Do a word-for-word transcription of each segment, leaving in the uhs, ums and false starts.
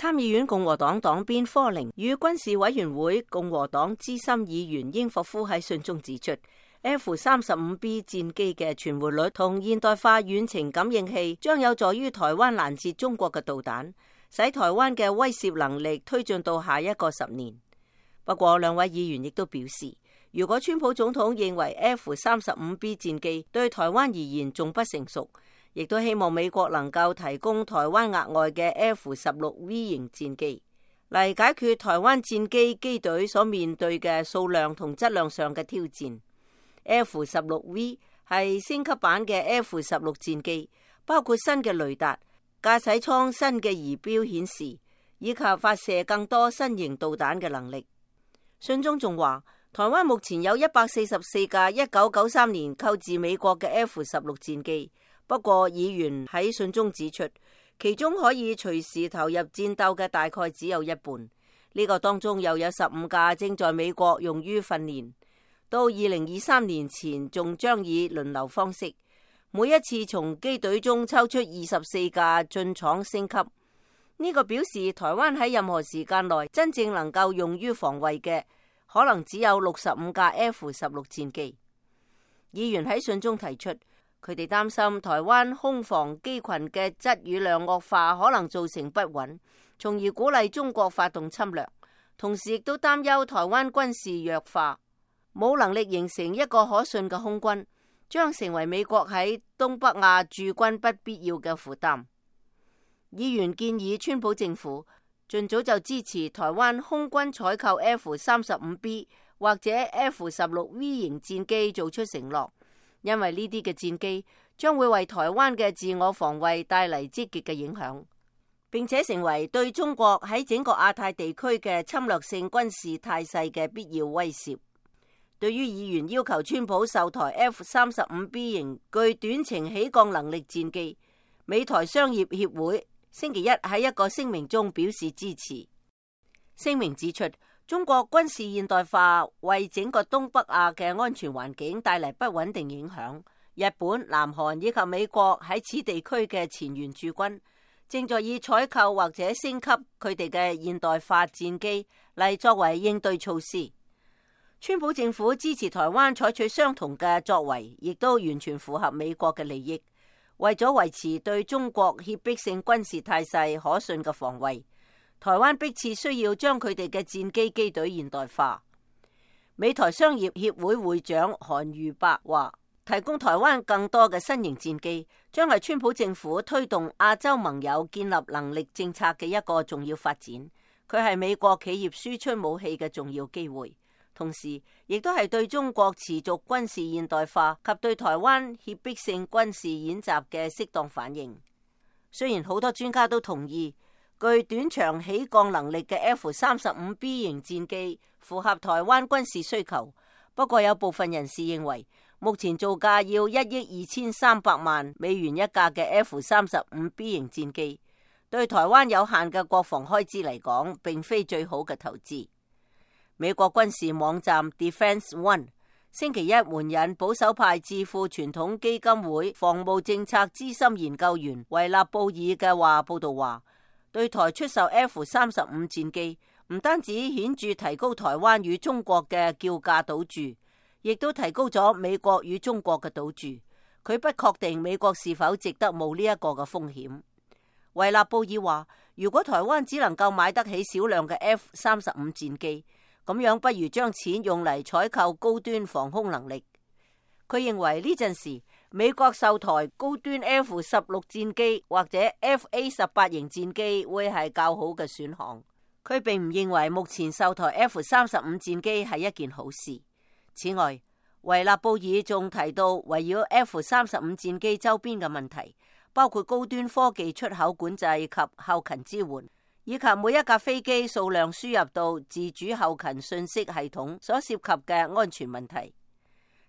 參議院共和黨黨鞭科寧與軍事委員會共和黨資深議員英霍夫喺信中指出， F 三十五 B 戰機嘅存活率同現代化遠程感應器將有助於台灣攔截中國嘅導彈，使台灣嘅威懾能力推進到下一個十年。不過，兩位議員亦都表示，如果川普總統認為 F 三十五 B 戰機對台灣而言仲不成熟，亦都希望美國能夠提供台灣額外嘅 F 十六 V 型戰機，嚟解決台灣戰機機隊所面對嘅數量同質量上嘅挑戰。F 十六 V 係升級版嘅 F 十六戰機，包括新嘅雷達、駕駛艙新嘅儀表顯示，以及發射更多新型導彈嘅能力。信中仲話，台灣目前有一百四十四架一九九三年購自美國嘅 F 十六戰機。不過，議員喺信中指出，其中可以隨時投入戰鬥嘅大概只有一半。呢個當中又有十五架正在美國用於訓練，到二零二三年前仲將以輪流方式，每一次從機隊中抽出二十四架進廠升級。呢個表示台灣喺任何時間內真正能夠用於防衛嘅，可能只有六十五架 F 十六戰機。議員喺信中提出，佢哋擔心台灣空防機群嘅質與量惡化可能造成不穩，從而鼓勵中國發動侵略。同時亦都擔憂台灣軍事弱化，冇能力形成一個可信嘅空軍，將成為美國喺東北亞駐軍不必要嘅負擔。議員建議川普政府盡早就支持台灣空軍採購 F 三十五 B 或者 F 十六 V 型戰機做出承諾。因為呢啲嘅戰機將會為台灣嘅自我防衛帶嚟積極嘅影響，並且成為對中國喺整個亞太地區嘅侵略性軍事態勢嘅必要威懾。對於議員要求川普售台 F 三十五 B 型具短程起降能力戰機，美台商業協會星期一喺一個聲明中表示支持。聲明指出，中國軍事現代化為整個東北亞嘅安全環境帶嚟不穩定影響。日本、南韓以及美國喺此地區嘅前沿駐軍正在以採購或者升級佢哋嘅現代化戰機嚟作為應對措施。川普政府支持台灣採取相同嘅作為，亦都完全符合美國嘅利益。為咗維持對中國脅迫性軍事態勢可信嘅防衛，台灣迫切需要將佢哋嘅戰機機隊現代化。美台商業協會會長韓瑜伯話，提供台灣更多嘅新型戰機，將係川普政府推動亞洲盟友建立能力政策嘅一個重要發展。佢係美國企業輸出武器嘅重要機會，同時亦都係對中國持續軍事現代化及對台灣脅迫性軍事演習嘅適當反應。雖然好多專家都同意，具短場起降能力嘅 F 三十五 B 型戰機符合台灣軍事需求，不過有部分人士認為，目前造價要一億二千三百萬美元一架嘅 F 三十五 B 型戰機，對台灣有限嘅國防開支嚟講，並非最好嘅投資。美國軍事網站 Defense One 星期一援引保守派智庫傳統基金會防務政策資深研究員維納布爾嘅話報道話，對台出售 F 三十五戰機，唔單止顯著提高台灣與中國嘅叫價賭注，亦都提高咗美國與中國嘅賭注。佢不確定美國是否值得冒呢一個嘅風險。維納布爾話，如果台灣只能夠買得起少量嘅 F 三十五戰機，咁樣不如將錢用嚟採購高端防空能力。佢認為呢陣時美國售台高端 F 十六戰機或者 F A 十八型戰機會係較好嘅選項。佢並唔認為目前售台 F 三十五戰機係一件好事。此外，維納布爾仲提到圍繞 F 三十五戰機周邊嘅問題，包括高端科技出口管制及後勤支援，以及每一架飛機數量輸入到自主後勤信息系統所涉及嘅安全問題。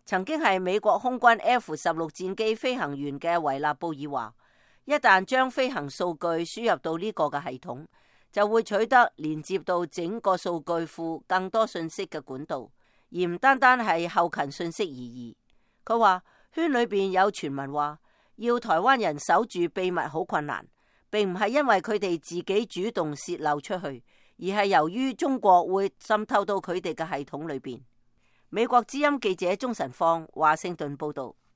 曾經係美國空軍 F 十六戰機飛行員嘅維納布爾話，一旦將飛行數據輸入到呢個嘅系統，就會取得連接到整個數據庫更多信息嘅管道，而唔單單係後勤信息而已。佢話圈裏邊有傳聞話，要台灣人守住秘密好困難，並唔係因為佢哋自己主動洩漏出去，而係由於中國會滲透到佢哋嘅系統裏邊。美國之音記者鍾晨放華盛頓報道。